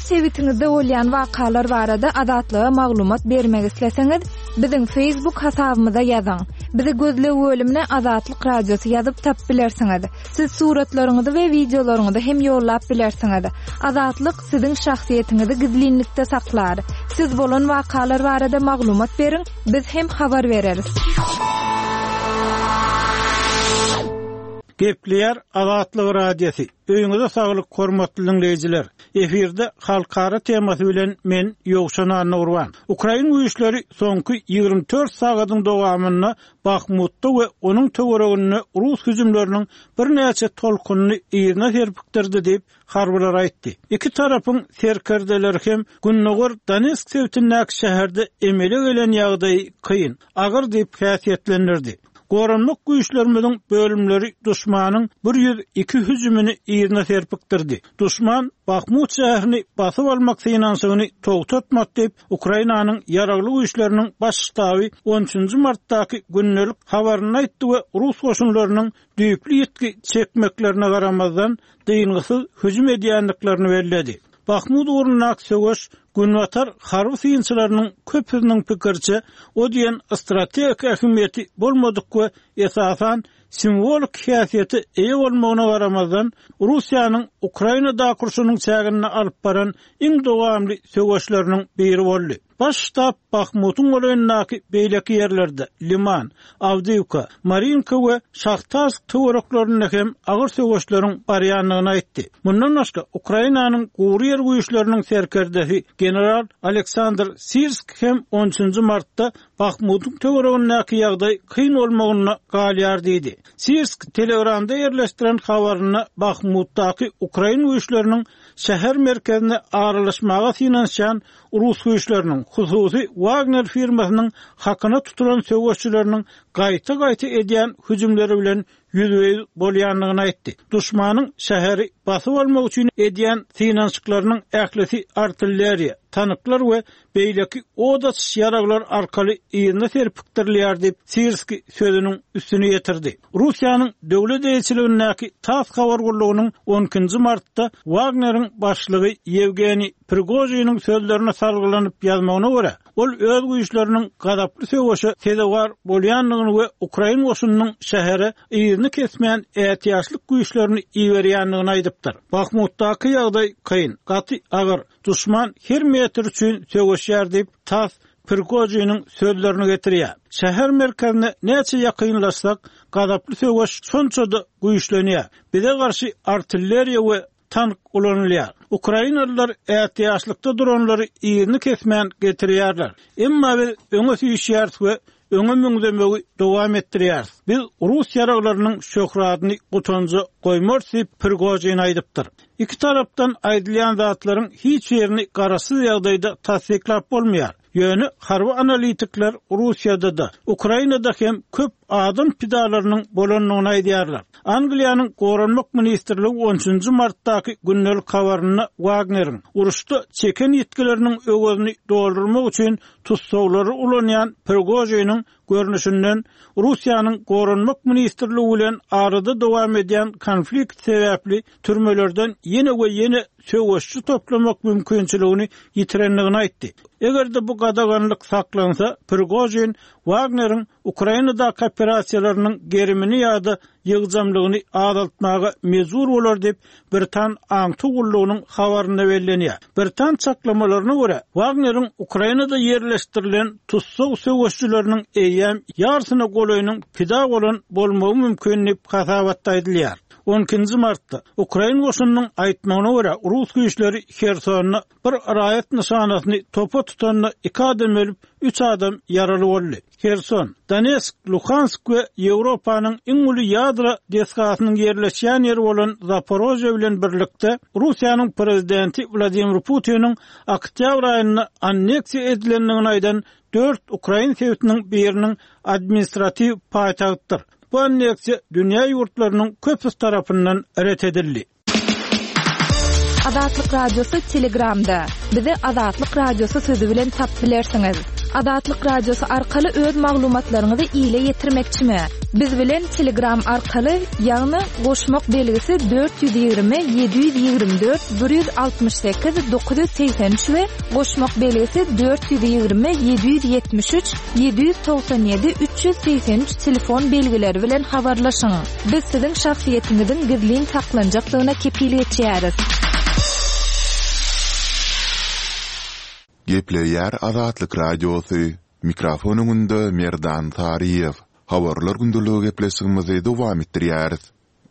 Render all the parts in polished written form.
Öz sebitiňizde bolýan wakalar barada Azatlyga maglumat bermek isleseňiz, biziň Facebook hasabymyza ýazyň. Bizi gözleg bölümine Azatlyk Radiosy ýazyp tapyp bilersiňiz. Siz suratlaryňyzy we wideolaryňyzy hem ýollap bilersiňiz. Azatlyk siziň şahsyýetiňizi gizlinlikde saklar. Siz bolan wakalar barada maglumat beriň, biz hem habar bereris. Gepleýär Azatlyk Radiosy. Öýüňize saglyk hormatly diňleýjiler. Efirde halkara temasy bilen men Ýowşan Annagurban. Ukrain güýçleri soňky 24 sagadyň dowamynda Bahmutda we onuň töwereginde rus hüjümleriniň birnäçe tolkunyny yzyna serpikdirdi diýip, harbylar aýtdy. Iki tarapyň serkerdeleri hem gündogar Donetsk sebitindäki şäherde emele gelen ýagdaýy kyn, agyr diýip häsiýetlendirdi. Goranmak güýçlerimiziň bölümleri duşmanyň 102 hüjümini yzyna serpikdirdi. Duşman Bahmut şäherini basyp almak synanyşygyny togtatmady diýip, Ukrainanyň Ýaragly Güýçleriniň Baş ştaby on üçünji martdaky gündelik habarynda aýtdy we rus goşunlarynyň düýpli ýitgi çekmeklerine garamazdan, dyngysyz hüjüm edýändiklerini belledi. Bahmut ugrundaky söweş günbatar harby synçylarynyň köpüsiniň pikiriçe, o diýen strategik ähmiýeti bolmadyk we esasan simwolik häsiýete eýe bolmagyna garamazdan, Russiýanyň Ukrainadaky urşunyň çäginde alyp baran iň dowamly söweşleriniň biri boldy. Baş ştab Bahmutyň golaýyndaky beýleki ýerlerde, Liman, Awdiýwka, Marinka we Şahtarsk töwereklerinde hem agyr söweşleriň barýandygyny aýtdy. Mundan başga, Ukrainanyň gury ýer güýçleriniň serkerdesi general Aleksandr Sirsk hem on üçünji martda Bahmutyň töweregindäki ýagdaý kyn bolmagynda galýar diýdi. Sirsk Telegramda ýerleşdiren habarynda Bahmutdaky ukrain güýçleriniň şäher merkezine aralaşmaga synanyşýan rus güýçleriniň, hususy Wagner firmasynyň hakyna tutulan söweşçileriniň gaýta-gaýta edýän hüjümleri bilen ýüzbe-ýüz bolýandygyny aýtdy. Duşmanyň şäheri basyp almak üçin edýän synanyşyklarynyň ählisi artilleriýa, tanklar we beýleki od açyş ýaraglar arkaly yzyna serpikdirilýär diýip, Sirskiý sözüniň üstüni ýetirdi. Russiýanyň döwlet eýeçiligindäki tass habar gullugynyň on ikinji martda Wagneriň başlygy Ýewgeniý Prigožiniň sözlerine salgylanyp ýazmagyna görä, Ol öz güýçleriniň gazaply söweşe sezewar bolýandygyny we ukrain goşunynyň şähere yzyny kesmän ätiýaçlyk güýçlerini iberýändigini aýdypdyr. Bahmutdaky ýagdaý kyn, gaty agyr. Duşman her metr üçin söweşýär diýip, tass Prigožiniň sözlerini getirýär. Şäher merkezine näçe ýakynlaşsak, gazaply söweş şonça-da güýçlenýär. Bize garşy artilleriýa we tank ulanylýar. Ukrainalylar ätiýaçlykda duranlary yzyny kesmän getirýärler. Emma biz öňe süýşýäris we öňe müňzemegi dowam etdirýäris. Biz rus ýaraglarynyň şöhratyny gutanja goýmarys diýip, Prigožin aýdypdyr. Iki tarapdan aýdylýan zatlaryň hiç birini garaşsyz ýagdaýda tassyklap bolmaýar. Ýöne harby analitikler Russiýada-da, Ukrainada hem köp adam pidalarynyň bolandygyny aýdýarlar. Angliýanyň Goranmak ministrligi on üçünji martdaky gündelik habarynda Wagneriň, uruşda çeken ýitgileriniň öwezini doldurmak üçin tussaglary ulanýan Prigožiniň görnüşinden, Russiýanyň Goranmak ministrligi bilen arada dowam edýän konflikt sebäpli türmelerden ýene we ýene söweşçi toplamak mümkinçiligini ýitirendigini aýtdy. Eger-de bu gadaganlyk saklansa, Prigožin Wagneriň Ukrainadaky operasiýalarynyň gerimini ýa-da ýygjamlygyny azaltmaga mejbur bolar diýip, britan aňtaw gullugynyň habarynda bellenýär. Britan çaklamalaryna görä, Wagneriň Ukrainada ýerleşdirilen tussag söweşçileriniň eýýäm ýarsyna golaýynyň pida bolan bolmagy mümkin diýip, hasabatda aýdylýar. On ikinji martda, ukrain goşunynyň aýtmagyna görä, rus güýçleri Hersonda bir raýat nyşanasyny topa tutanda iki adam ölüp, üç adam ýaraly boldy. Herson, Donetsk, Luhansk we Ýewropanyň iň uly ýadro desgasynyň ýerleşýän ýeri bolan Zaporožýe bilen birlikde Russiýanyň prezidenti Wladimir Putiniň oktýabr aýynda anneksiýa edilendigini aýdan dört ukrain sebitiniň biriniň administratiw paýtagtydyr. Bu anneksiýa dünýä ýurtlarynyň köpüsi tarapyndan ret edildi. Azatlyk Radiosy Telegramda. Bizi Azatlyk Radiosy sözi bilen tapyp bilersiňiz. Azatlyk Radiosy arkaly öz maglumatlaryňyzy ile ýetirmekçimi? Biz bilen Telegram arkaly, ýagny goşmak belgisi 420 724 168 983 we goşmak belgisi 420 773 797 383 telefon belgileri bilen habarlaşyň. Biz siziň şahsyýetiňiziň gizlin saklanjakdygyna kepil geçýäris. Gepleýär Azatlyk Radiosy, Mikrofon öňünde Merdan Saryýew. Habarlar gündeligi gepleşigimizi dowam etdirýäris.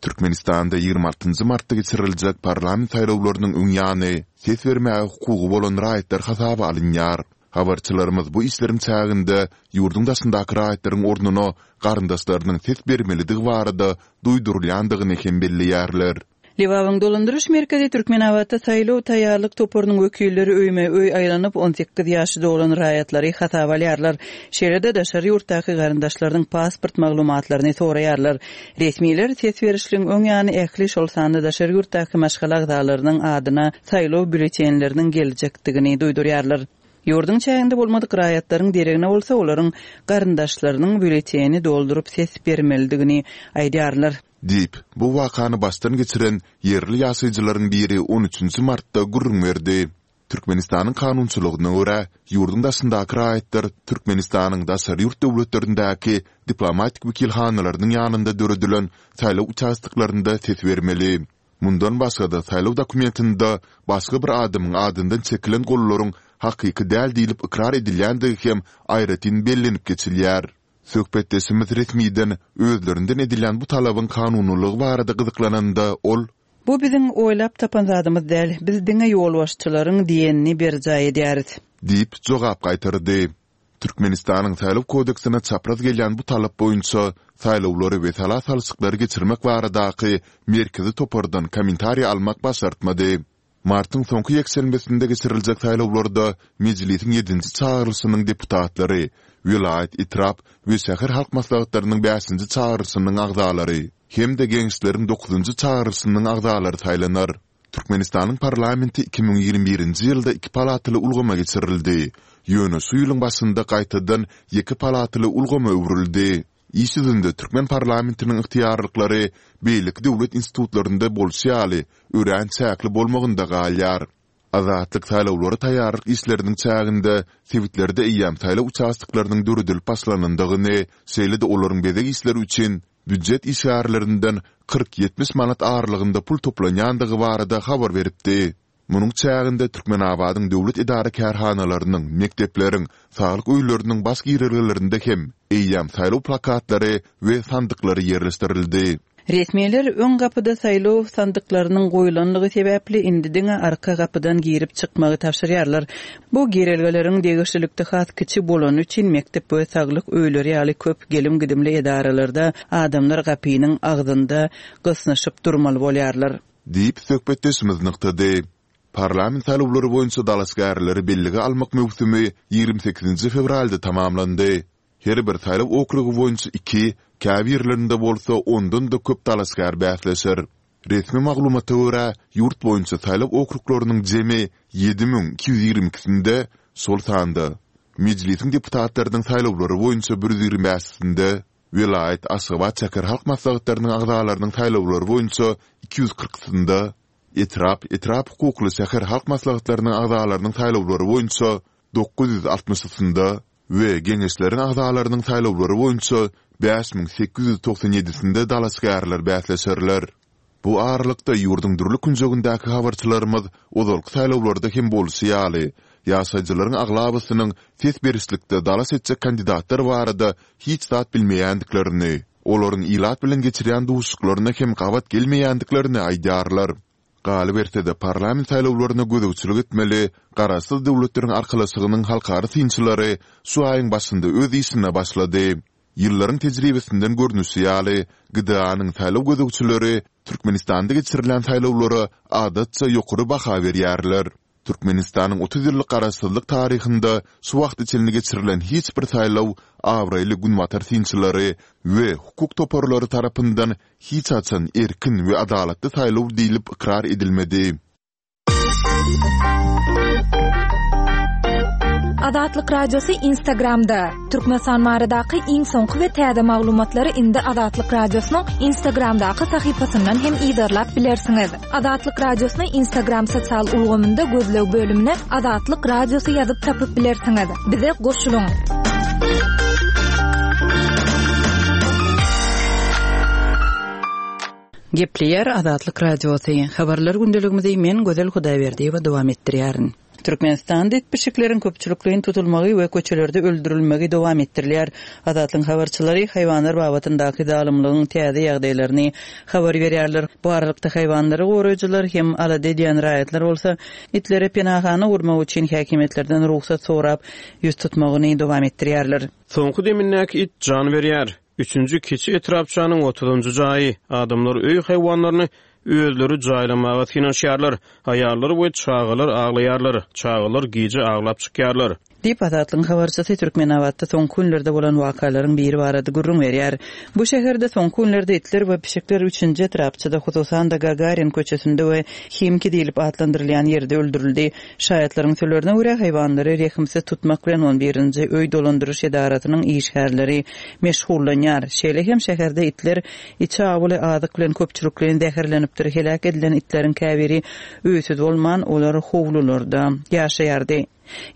Türkmenistanda 26 martda geçiriljek parlament saýlawlarynyň öň ýany ses bermäge hukugy bolan raýatlar hasaba alynýar. Habarçylarymyz bu işleriň çäginde ýurduň daşyndaky raýatlaryň ornuna garyndaşlarynyň ses bermelidigi barada duýdurylýandygyny hem belleýärler. Lebabyň dolandyryş merkezi Türkmenabatda saýlaw taýýarlyk toparynyň wekilleri öýme-öý aýlanyp, 18 ýaşy dolan raýatlary hasaba alýarlar. Şeýle-de daşary ýurtdaky garyndaşlarynyň pasport maglumatlaryny soraýarlar. Resmiler ses berişligiň öň ýany ähli, şol sanda daşary ýurtdaky maşgala agzalarynyň adyna saýlaw býulletenleriniň geljekdigini duýdurýarlar. Ýurduň çäginde bolmadyk raýatlaryň deregine bolsa olaryň garyndaşlarynyň býulleteni dolduryp ses bermelidigini aýdýarlar. Diýip, bu wakany başdan geçiren ýerli ýaşaýjylaryň biri on üçünji martda gürrüň berdi. Türkmenistanyň kanunçylygyna görä, ýurduň daşyndaky raýatlar Türkmenistanyň daşary ýurt döwletlerindäki diplomatik wekilhanalarynyň ýanynda döredilen saýlaw uçastoklarynda ses bermeli. Mundan başga-da, saýlaw dokumentinde başga bir adamyň adyndan çekilen gollaryň hakyky däl diýlip ykrar edilýändigi hem aýratyn bellenip geçilýär. Söhbetdeşimiz resmiden özlerinden edilýän bu talabyň kanunylygy barada gyzyklananda, ol. Bu biziň oýlap tapan zadymyz däl, biz diňe ýolbaşçylaryň diýenini berjaý edýäris. Diýip, jogap gaýtardy. Türkmenistanyň Saýlaw kodeksine çapraz gelýän bu talap boýunça saýlawlary we sala salşyklary geçirmek baradaky merkezi topardan kommentariý almak başartmady. Martyň soňky ýekşenbesinde geçiriljek saýlawlarda Mejlisiň ýedinji çagyrylyşynyň deputatlary, welaýat, etrap we şäher halk maslahatlarynyň bäşinji çagyrylyşynyň agzalary hem-de Geňeşleriň dokuzynjy çagyrylyşynyň agzalary saýlanar. Türkmenistanyň parlamenti 2021-nji ýylda iki palataly ulgama geçirildi, ýöne şu ýylyň başynda gaýtadan ýeke palataly ulgama öwrüldi. Iş ýüzünde türkmen parlamentiniň ygtyýarlyklary beýleki döwlet institutlarynda bolşy ýaly örän çäkli bolmagynda galýar. Azatlyk saýlawlara taýýarlyk işleriniň çäginde sebitlerde eýýäm saýlaw uçastoklarynyň döredilip başlanandygyny, şeýle-de olaryň bezeg işleri üçin býujet işgärlerinden 40-70 manat aralygynda pul toplanýandygy barada habar beripdi. Munuň çäginde Türkmenabadyň döwlet edara-kärhanalarynyň, mekdepleriň, saglyk öýleriniň baş girelgelerinde hem eýýäm saýlaw plakatlary we sandyklary ýerleşdirildi. Resmiler öň gapyda saýlaw sandyklarynyň goýlandygy sebäpli indi diňe arka gapydan girip çykmagy tabşyrýarlar. Bu girelgeleriň degişlilikde has kiçi bolany üçin mekdep we saglyk öýleri ýaly köp gelim-gidimli edaralarda adamlar gapynyň agzynda gysnyşyp durmaly bolýarlar. Diýip, söhbetdeşimiz nygtady. Parlament saýlawlary boýunça dalaşgärleri bellige almak möwsümi 28-nji fewralda tamamlandy. Her bir saýlaw okrugy boýunça iki, käbirlerinde bolsa ondan-da köp dalaşgär bäsleşer. Resmi maglumata görä, ýurt boýunça saýlaw okruglarynyň jemi 7222-sinde, şol sanda Mejlisiň deputatlarynyň saýlawlary boýunça bir ýüz ýigrimi bäşisinde, Welaýat, Aşgabat şäher halk maslahatlarynyň agzalarynyň saýlawlary boýunça 240-synda, etrap, etrap hukukly şäher halk maslahatlarynyň agzalarynyň saýlawlary boýunça 960-synda we Geňeşleriň agzalarynyň saýlawlary boýunça 5897-sinde dalaşgärler bäsleşerler. Bu aralykda, ýurduň dürli künjegindäki habarçylarymyz ozalky saýlawlarda hem bolşy ýaly, ýaşaýjylaryň aglabasynyň ses berişlikde dalaş etjek kandidatlar barada hiç zat bilmeýändiklerini, olaryň ilat bilen geçirýän duşuşyklaryna hem gabat gelmeýändiklerini aýdýarlar. Galyberse-de, parlament saýlawlaryna gözegçilik etmeli Garaşsyz Döwletleriň Arkalaşygynyň halkara synçylary şu aýyň başynda öz işine başlady. Ýyllaryň tejribesinden görnüşi ýaly, GDA-nyň saýlaw gözegçileri Türkmenistanda geçirilýän saýlawlara adatça ýokary baha berýärler. Türkmenistanyň 30 ýyllyk garaşsyzlyk taryhynda şu wagta çenli geçirilen hiç bir saýlaw abraýly günbatar synçylary we hukuk toparlary tarapyndan hiç haçan erkin we adalatly saýlaw diýlip ykrar edilmedi. Azatlyk Radiosy Instagramda! Türkmenistan baradaky iň soňky we täze maglumatlary indi Azatlyk Radiosynyň Instagramdaky sahypasyndan hem yzarlap bilersiňiz. Azatlyk Radiosyny Instagram sosial ulgamynda gözleg bölümine Azatlyk Radiosy ýazyp tapyp bilersiňiz. Bize goşulyň! Gepleýär Azatlyk Radiosy. Habarlar gündeligimizi men Gözel Hudaýberdiýewa dowam etdirýärin. Türkmenistanda it pişikleriň köpçülikleýin tutulmagy we köçelerde öldürilmegi dowam etdirilýär. Azatlygyň habarçylary haýwanlar babatyndaky zalymlygyň täze ýagdaýlaryny habar berýärler. Bu aralykda haýwanlary goraýjylar hem alada edýän raýatlar bolsa itlere penahana gurmak üçin häkimiýetlerden rugsat sorap ýüz tutmagyny dowam etdirýärler. Soňky demindäki it jan berýär. Üçünji kiçi etrapçanyň otuzynjy jaýy. Adamlar öý haýwanlaryny özleri jaýlamaga synanyşýarlar. Aýallar we çagalar aglaýarlar. Çagalar gije aglap çykýarlar. Diýip, Azatlygyň habarçysy Türkmenabatda soňky günlerde bolan wakalaryň biri barada gürrüň berýär. Bu şäherde soňky günlerde itler we pişikler üçünji etrapçada, hususan-da Gagarin köçesinde we Himki diýlip atlandyrylýan ýerde öldürildi. Şaýatlaryň sözlerine görä, haýwanlary rehimsiz tutmak bilen on birinji öý dolandyryş edarasynyň işgärleri meşgullanýar. Şeýle hem şäherde itler içi awuly azyk bilen köpçülikleýin zäherlenipdir, heläk edilen itleriň käbiri öýsüz bolman, olar howlularda ýaşaýardy.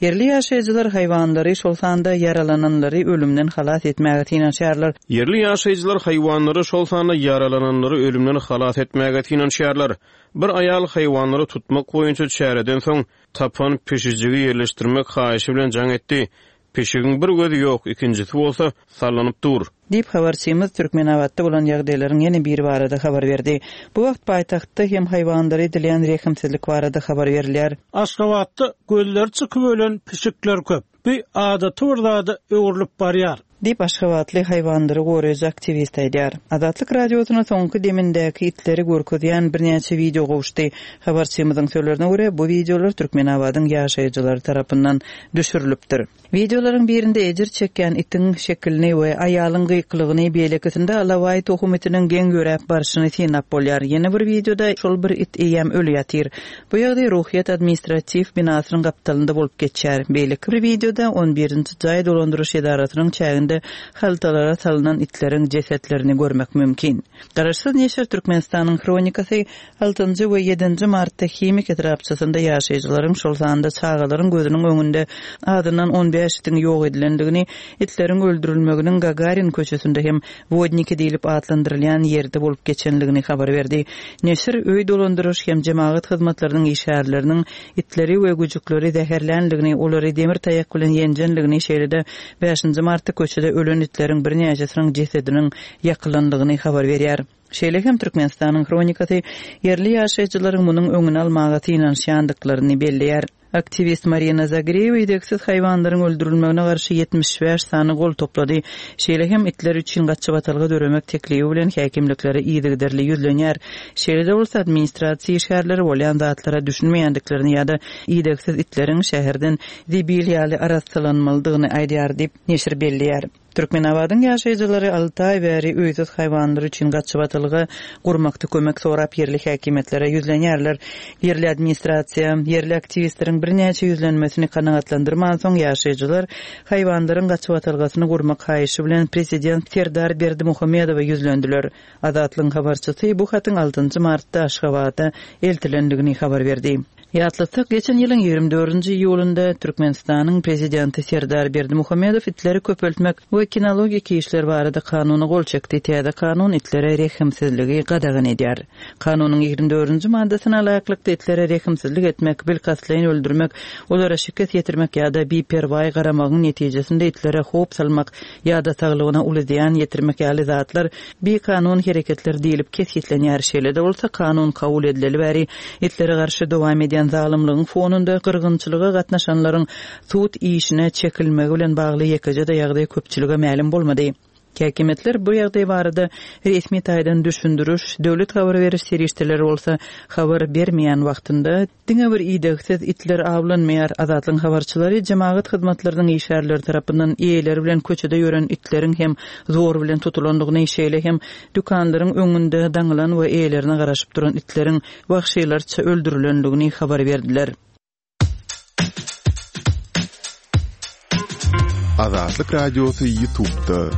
Ýerli ýaşaýjylar haýwanlary, şol sanda ýaralananlary ölümden halas etmäge synanyşýarlar. Ýerli ýaşaýjylar haýwanlary, şol sanda ýaralananlary ölümden halas etmäge synanyşýarlar. Bir aýal haýwanlary tutmak boýunça çäreden soň, tapan pişijigi ýerleşdirmek haýyşy bilen jaň etdi. Pişigiň bir gözi ýok, ikinjisi bolsa, sallanyp dur. Diýip, habarçymyz Türkmenabatda bolan ýagdaýlaryň ýene biri barada habar berdi. Bu wagt paýtagtda hem haýwanlara edilýän rehimsizlik barada habar berilýär. Aşgabatda gözleri çykyp ölen pişikler köp. Bu adaty bir zada öwrülip barýar. Diýip, aşgabatly haýwanlary goraýjy aktiwist aýdýar. Azatlyk Radiosyna soňky demindäki itleri görkezýän birnäçe wideo gowuşdy. Habarçymyzyň sözlerine görä, bu wideolar Türkmenabadyň ýaşaýjylary tarapyndan düşürilipdir. Wideolaryň birinde ejir çekýän itiň şekilini we aýalyň gykylygyny, beýlekisinde alabaý tohum itiniň geň ýöräp barşyny synlap bolýar. Ýene bir wideoda şol bir it eýýäm öli ýatyr. Bu ýagdaý Ruhyýet administratiw binasynyň gapdalynda bolup geçýär. Beýleki bir wideoda on birinji jaý dolandyryş edarasynyň çäginde haltalara salynan itleriň jesetlerini görmek mümkin. Garaşsyz neşir Türkmenistanyň hronikasy altynjy we ýedinji martda Himik etrapçasynda ýaşaýjylaryň, şol sanda çagalaryň gözüniň öňünde azyndan on bäş itiň ýok edilendigini, itleriň öldürilmeginiň Gagarin köçesinde hem Wodniki diýlip atlandyrylýan ýerde bolup geçenligini habar berdi. Neşir öý dolandyryş hem jemagat hyzmatlarynyň işgärleriniň itleri we güjükleri zäherlänligini, olary demir taýak bilen ýenjenligini, şeýle-de bäşinji martda köçede ölen itleriň birnäçesiniň jesediniň ýakylandygyny habar berýär. Şeýle hem Türkmenistanyň Hronikasy ýerli ýaşaýjylaryň munuň öňüni almaga synanyşýandyklaryny belleýär. Aktiwist Marina Zagreýewa idegsiz haýwanlaryň öldürilmegine garşy 75 sany gol toplady. Şeýle hem itler üçin gaçybatalga döremek teklibi bilen häkimliklere yzygiderli ýüzlenýär. Şeýle-de bolsa, administrasiýa işgärleri bolýan zatlara düşünmeýändiklerini ýa-da idegsiz itleriň şäherden zibil ýaly arassalanmalydygyny aýdýar diýip, neşir belleýär. Türkmenabadyň ýaşaýjylary alty aý bäri öýsüz haýwanlar üçin gaçybatalga gurmakda kömek sorap ýerli häkimiýetlere ýüzlenýärler. Ýerli administrasiýa ýerli aktiwistleriň birnäçe ýüzlenmesini kanagatlandyrmansoň, ýaşaýjylar haýwanlaryň gaçybatalgasyny gurmak haýyşy bilen prezident Serdar Berdimuhamedowa ýüzlendiler. Azatlygyň habarçysy bu hatyň altynjy martda Aşgabada eltilendigini habar berdi. Ýatlatsak, geçen ýylyň 24-nji iýulynda Türkmenistanyň Prezidenti Serdar Berdimuhamedow itleri köpeltmek we kinologik işler barada kanuna gol çekdi. Täze kanun itlere rehimsizligi gadagan edýär. Kanunyň 24-nji maddasyna laýyklykda, itlere rehimsizlik etmek, bilkastlaýyn öldürmek, olara şikes ýetirmek ýa-da biperwaý garamagyň netijesinde itlere howp salmak ýa-da saglygyna uly zyýan ýetirmek ýaly zatlar bikanun hereketler diýlip kesgitlenýär. Şeýle-de bolsa, kanun kabul edileli bäri itlere garşy dowam edýän zalymlygyň fonunda gyrgynçylyga gatnaşanlaryň sud işine çekilmegi bilen bagly ýekeje-de ýagdaý köpçülige mälim bolmady. Häkimiýetler bu ýagdaý barada resmi taýdan düşündiriş, döwlet habar beriş serişdeleri bolsa habar bermeýän wagtynda, Diňe bir idegsiz itler awlanmaýar. Azatlygyň habarçylary jemagat hyzmatlarynyň işgärleri tarapyndan eýeleri bilen köçede ýören itleriň hem zor bilen tutulandygyny, şeýle hem dükanlaryň öňünde daňylan we eýelerine garaşyp duran itleriň wagşylarça öldürilendigini habar berdiler. Azatlyk Radiosy Ýutubda.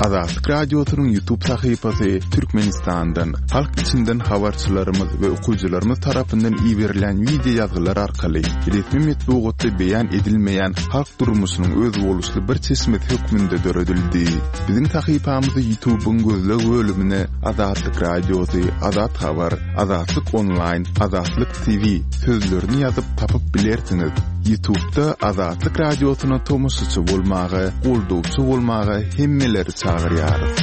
Azatlyk Radiosynyň Ýutub sahypasy Türkmenistandan, halk içinden habarçylarymyz we okyjylarymyz tarapyndan iberilýän wideo ýazgylar arkaly resmi metbugatda beýan edilmeýän halk durmuşynyň özboluşly bir çeşmesi hökmünde döredildi. Biziň sahypamyzy Ýutubyň gözleg bölümine Azatlyk Radiosy, Azat Habar, Azatlyk Onlaýn, Azatlyk TV sözlerini ýazyp tapyp bilersiňiz. Ýutubda Azatlyk Radiosyna tomaşaçy bolmaga, goldawçy bolmaga hemmeleri çagyrýarys.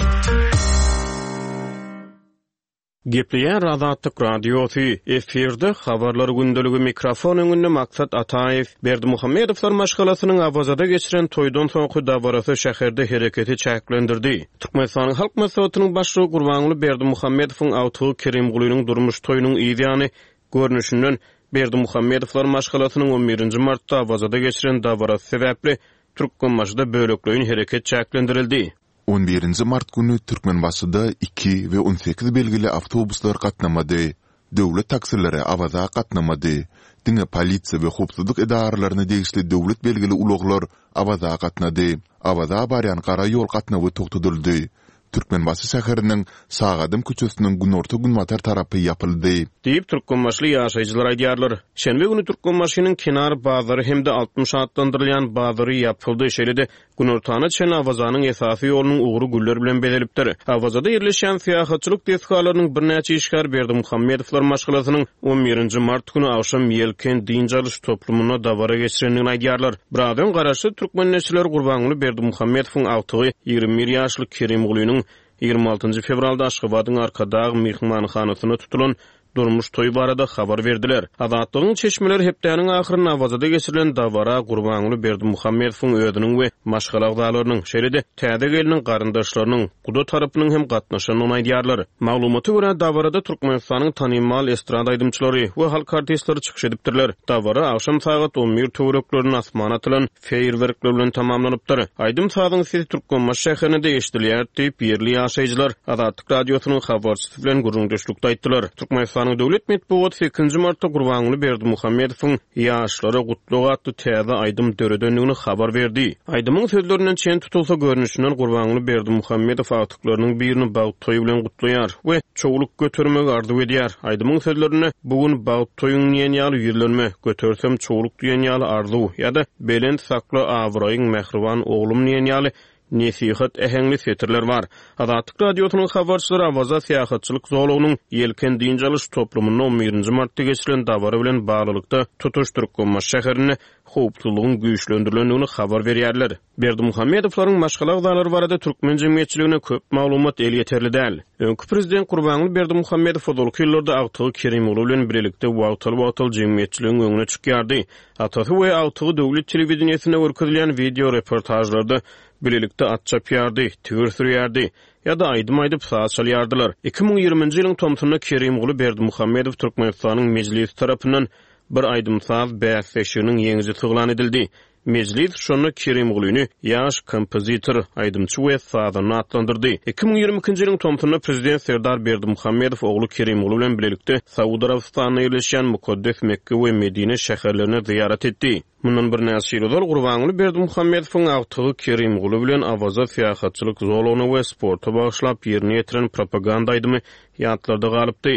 Gepleýär Azatlyk Radiosy, efirde Habarlar gündeligi mikrofon öňünde Maksat Ataýew. Berdimuhamedowlar maşgalasynyň Awazada geçiren toýdan soňky dabarasy şäherde hereketi çäklendirdi. Türkmenistanyň Halk Maslahatynyň Başlygy Gurbanguly Berdimuhamedowyň agtygy Kerimgulynyň durmuş toýunyň yz ýany görnüşinden, Berdimuhamedowlar maşgalasynyň on birinji martda Awazada geçiren dabarasy sebäpli Türkmenbaşyda bölekleýin hereket çäklendirildi. On birinji mart güni Türkmenbaşyda iki we on sekiz belgili awtobuslar gatnamady. Döwlet taksileri Awaza gatnamady. Diňe polisiýa we howpsuzlyk edaralaryna degişli döwlet belgili ulaglar Awaza gatnady. Awaza barýan gara ýol gatnawy togtadyldy. Türkmenbaşy şäheriniň Şagadam köçesiniň günorta-günbatar tarapy ýapyldy. Diýip, türkmenbaşyly ýaşaýjylar aýdýarlar. Şenbe güni Türkmenbaşynyň Kenar bazary hem-de 60 atlandyrylýan bazary ýapyldy, şeýle-de Günortana çenli Awazanyň esasy ýolunyň ugry güller bilen bezelipdir. Awazada ýerleşýän syýahatçylyk desgalarynyň birnäçe işgäri Berdimuhamedowlar maşgalasynyň on birinji mart güni agşam Ýelken dynç alyş toplumynda dabara geçirendigini aýdýarlar. Biraz öň garaşsyz türkmen neşirleri Gurbanguly Berdimuhamedowyň agtygy, 21 ýaşly Kerimgulynyň 26 njy fewralda Aşgabadyň Arkadag myhmanhanasynda tutulan durmuş toýy barada habar berdiler. Azatlygyň çeşmeleri hepdäniň ahyrynda Awazada geçirilen dabara Gurbanguly Berdimuhamedowyň özüniň we maşgala agzalarynyň, şeýle-de täze gelniň garyndaşlarynyň, guda tarapynyň hem gatnaşandygyny aýdýarlar. Maglumata görä, dabarada Türkmenistanyň tanymal estrada aýdymçylary we halk artistleri çykyş edipdirler. Dabara agşam sagat on bir töwereklerinde asmana atylan feýerwerkler bilen tamamlanypdyr. Aýdym-sazyň sesi Türkmenbaşy şäherinde-de eşidilýär diýip, ýerli ýaşaýjylar Azatlyk Radiosynyň habarçysy bilen gürrüňdeşlikde aýtdylar. Türkmenistanyň döwlet metbugaty sekizinji martda Gurbanguly Berdimuhamedowyň Ýaşlara gutlag atly täze aýdym döredendigini habar berdi. Aýdymyň sözlerinden çen tutulsa, görnüşinden Gurbanguly Berdimuhamedow agtyklarynyň birini bagt toýy bilen gutlaýar we çowluk götermegi arzuw edýär. Aýdymyň sözlerinde Bu gün bagt toýuň diýen ýaly ýüzlenme, götersem çowluk diýen ýaly arzuw ýa-da Belent sakla abraýyň mähriban oglum diýen ýaly nesihat äheňli setirler bar. Azatlyk Radiosynyň habarçylary Awaza syýahatçylyk zolagynyň Ýelken dynç alyş toplumynda on birinji martda geçirilen dabara bilen baglylykda tutuş Türkmenbaşy şäherinde howpsuzlygyň güýçlendirilendigini habar berýärler. Berdimuhamedowlaryň maşgala agzalary barada türkmen jemgyýetçiligine köp maglumat elýeterli däl. Öňki prezident Gurbanguly Berdimuhamedow ozalky ýyllarda agtygy Kerimguly bilen bilelikde wagtal-wagtal jemgyýetçiligiň öňüne çykýardy. Atasy we agtygy döwlet telewideniýesinde görkezilýän wideo reportažlarda bilelikde at çapýardy, tigir sürýärdi ýa-da aýdym aýdyp, saz çalýardylar. 2020-nji ýylyň tomsunda Kerimguly Berdimuhamedow Türkmenistanyň Mejlisi tarapyndan bir aýdym-saz bäsleşiginiň ýeňijisi yglan edildi. Mejlis şonda Kerimgulyny ýaş kompozitor, aýdymçy we sazanda atlandyrdy. 2022-nji ýylyň tomsunda prezident Serdar Berdimuhamedow ogly Kerimguly bilen bilelikde Saud Arabystanynda ýerleşýän mukaddes Mekge we Medine şäherlerine zyýarat etdi. Mundan birnäçe ýyl ozal Gurbanguly Berdimuhamedowyň agtygy Kerimguly bilen Awaza syýahatçylyk zolagyna we sporta bagyşlap ýerine ýetiren propaganda aýdymy ýatlarda galypdy.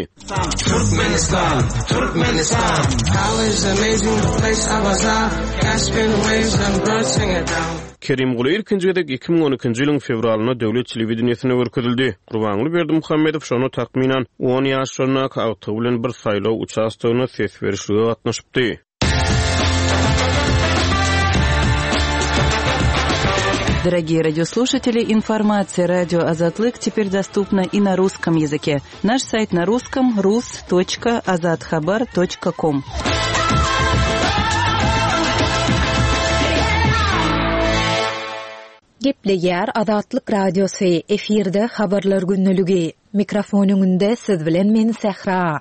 Türkmenistan, Türkmenistan. How is amazing the place Awaza, Caspian waves and birds sing it down. Kerimguly ilkinji gezek 2012-nji ýylyň fewralynda döwlet telewideniýesinde görkezildi. Gurbanguly Berdimuhamedow şonda takmynan on ýaşlaryndaky agtygy bilen bir saýlaw uçastogynda ses berişlige gatnaşypdy. Дорогие радиослушатели, информация радио Азатлык теперь доступна и на русском языке. Наш сайт на русском rus.azathabar.com. Gepleýär Azatlyk Radiosy, efirde Habarlar gündeligi. Mikrofon öňünde siz bilen men Sähra.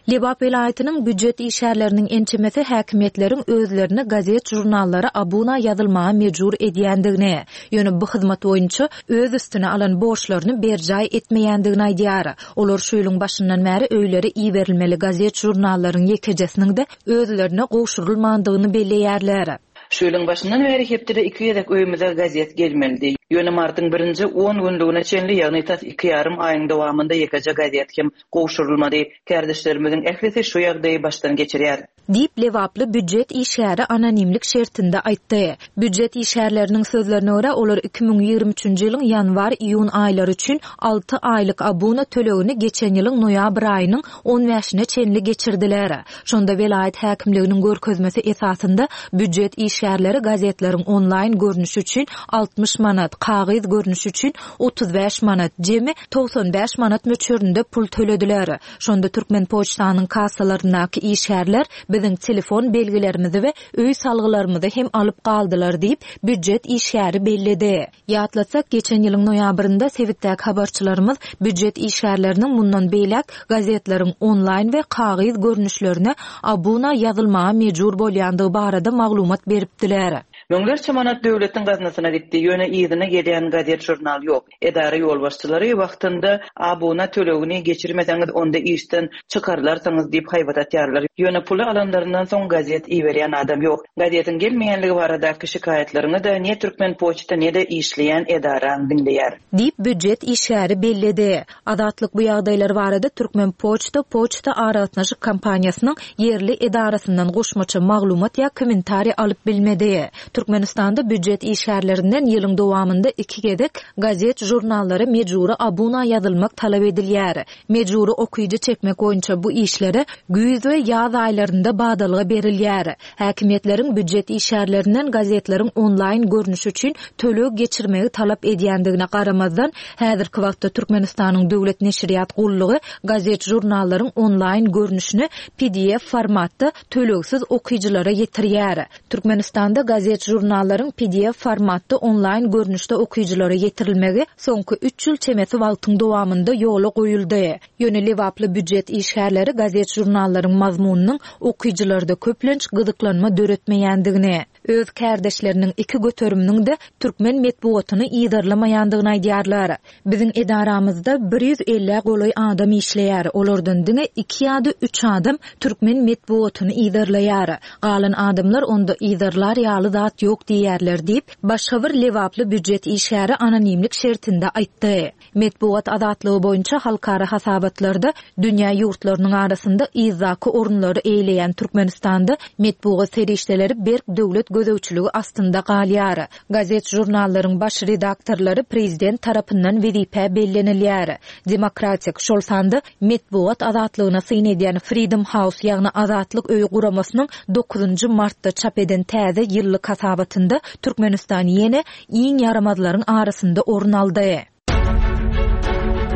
Lebap welaýatynyň býujet işgärleriniň ençemesi häkimiýetleriň özlerini gazet-žurnallara abuna ýazylmaga mejbur edýändigini, ýöne bu hyzmat boýunça öz üstüne alan borçlaryny berjaý etmeýändigini aýdýar. Olar şu ýylyň başyndan bäri öýlere iberilmeli gazet-žurnallaryň ýekejesiniň-de özlerine gowşurylmandygyny belleýärler. Şu ýylyň başyndan bäri hepdede iki gezek öýümize gazet gelmelidi. Ýöne martyň birinji on günlügine çenli, ýagny tas iki ýarym aýyň dowamynda ýekeje gazet hem gowşurylmady. Kärdeşlerimiziň ählisi şu ýagdaýy başdan geçirýär. Diýip, lebaply býujet işgäri anonimlik şertinde aýtdy. Býujet işgärleriniň sözlerine görä, olar 2023-nji ýylyň ýanwar-iýun aýlary üçin alty aýlyk abuna tölegini geçen ýylyň noýabr aýynyň on bäşine çenli geçirdiler. Şonda welaýat häkimliginiň görkezmesi esasynda býujet işgärleri gazetleriň onlaýn görnüşi üçin 60 manat, kagyz görnüşi üçin 35 manat, jemi 95 manat möçberinde pul tölediler. Şonda Türkmenpoçtanyň kassalaryndaky işgärler biziň telefon belgilerimizi we öý salgylarymyzy hem alyp galdylar diýip, býujet işgäri belledi. Ýatlatsak, geçen ýylyň noýabrynda sebitdäki habarçylarymyz býujet işgärleriniň mundan beýläk gazetleriň onlaýn we kagyz görnüşlerine abuna ýazylmaga mejbur bolýandygy barada maglumat beripdiler. Müňlerçe manat döwletiň gaznasyna gitdi, ýöne yzyna gelýän gazet-žurnal ýok. Edara ýolbaşçylary wagtynda abuna tölegini geçirmeseňiz onda işden çykarylarsyňyz diýip haýbat atýarlar. Ýöne puly alanlaryndan soň gazet iberýän adam ýok. Gazetiň gelmeýänligi baradaky şikaýatlaryňy-da ne Türkmenpoçta ne-de işleýän edaraň diňleýär. Diýip, býujet işgäri belledi. Azatlyk bu ýagdaýlar barada Türkmenpoçta poçta aragatnaşyk kompaniýasynyň ýerli edarasyndan goşmaça maglumat ýa kommentariý alyp bilmedi. Türkmenistanda býujet işgärlerinden ýylyň dowamynda iki gezek gazet-žurnallara mejbury abuna ýazylmak talap edilýär. Mejbury okyjy çekmek boýunça bu işlere güýz we ýaz aýlarynda badalga berilýär. Häkimiýetleriň býujet işgärlerinden gazetleriň onlaýn görnüşi üçin töleg geçirmegi talap edýändigine garamazdan, häzirki wagtda Türkmenistanyň Döwlet neşirýat gullugy gazet-žurnallaryň onlaýn görnüşini pdf formatda tölegsiz okyjylara ýetirýär. Türkmenistanda gazet-žurnallaryň pdf formatda onlaýn görnüşde okyjylara ýetirilmegi soňky üç ýyl çemesi wagtyň dowamynda ýola goýuldy. Ýöne lebaply býujet işgärleri gazet-žurnallaryň mazmunynyň okyjylarda köplenç gyzyklanma döretmeýändigini, öz kärdeşleriniň iki göteriminiň-de türkmen metbugatyny yzarlamaýandygyny aýdýarlar. Biziň edaramyzda bir ýüz ellä golaý adam işleýär, olardan diňe iki ýa-da üç adam türkmen metbugatyny yzarlaýar. Galan adamlar onda yzarlar ýaly zat ýok diýýärler diýip, başga bir lebaply býujet işgäri anonimlik şertinde aýtdy. Metbugat azatlygy boýunça halkara hasabatlarda dünýä ýurtlarynyň arasynda yzdaky orunlary eýeleýän Türkmenistanda metbugat serişdeleri berk döwlet gözegçiligi astynda galýar. Gazet-žurnallaryň baş redaktorlary prezident tarapyndan wezipä bellenilýär. Demokratik, şol sanda metbugat azatlygyna syn edýän Freedom House, ýagny Azatlyk öýi guramasynyň dokuzynjy martda çap eden täze ýyllyk hasabatynda Türkmenistan ýene iň ýaramazlaryň arasynda orun aldy.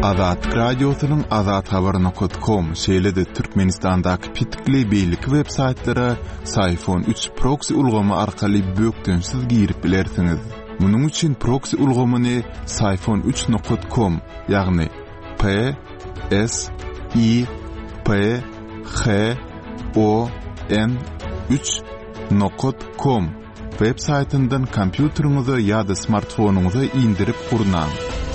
Azatlyk Radiosynyň Azathabar nokat kom, şeýle-de Türkmenistandaky petikli beýleki web saýtlara Syfon üç proksi ulgamy arkaly bökdençsiz girip bilersiňiz. Munuň üçin proksi ulgamyny Syfon üç nokat kom, ýagny P S I P H O N üç nokat kom Web saýtyndan kompýuteriňize ýa-da smartfonyňyza indirip gurnaň.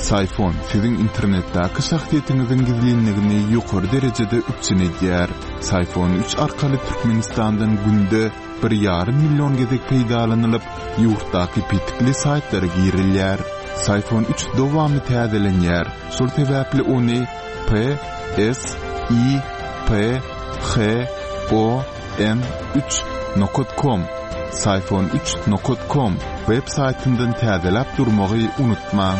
Syfon siziň internetdäki şahsyýetiňiziň gizlinligini ýokary derejede üpjün edýär. Syfon üç arkaly Türkmenistandan günde bir ýarym million gezek peýdalanylyp, ýurtdaky petikli saýtlara girilýär. Syfon üç dowamly täzelenýär, şol sebäpli ony P S I P H O N üç nokat kom Syfon üç nokat kom web saýtyndan täzeläp durmagy unutmaň.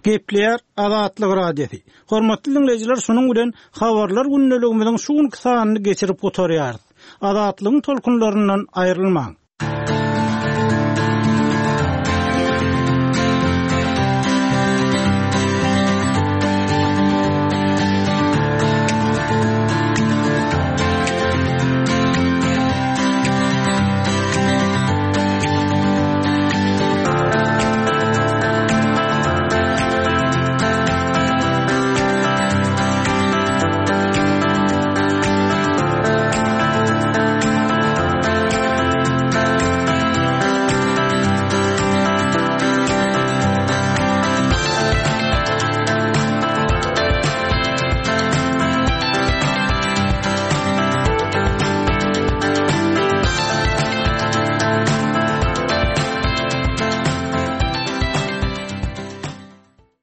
Gepleýär Azatlyk Radiosy. Hormatly diňleýjiler şunuň bilen Habarlar gündeligimiziň şu günki sanyny geçirip gutarýarys. Azatlygyň tolkunlaryndan aýrylmaň.